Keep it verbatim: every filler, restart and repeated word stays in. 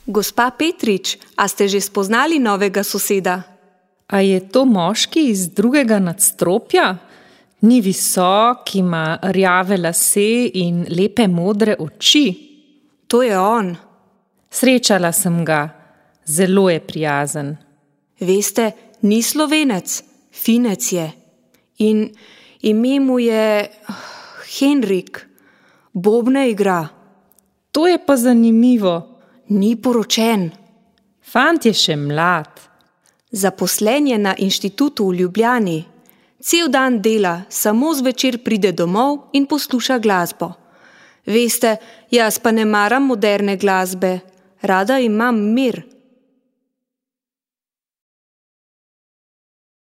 Gospa Petrič, a ste že spoznali novega soseda? A je to moški iz drugega nadstropja? Ni visok, ima rjave lase in lepe modre oči. To je on. Srečala sem ga. Zelo je prijazen. Veste, ni Slovenec, Finec je. In ime mu je Henrik. Bobne igra. To je pa zanimivo. Ni poročen. Fant je še mlad. Zaposlen je na inštitutu v Ljubljani. Cel dan dela, samo zvečer pride domov in posluša glasbo. Veste, jaz pa ne maram moderne glasbe. Rada imam mir.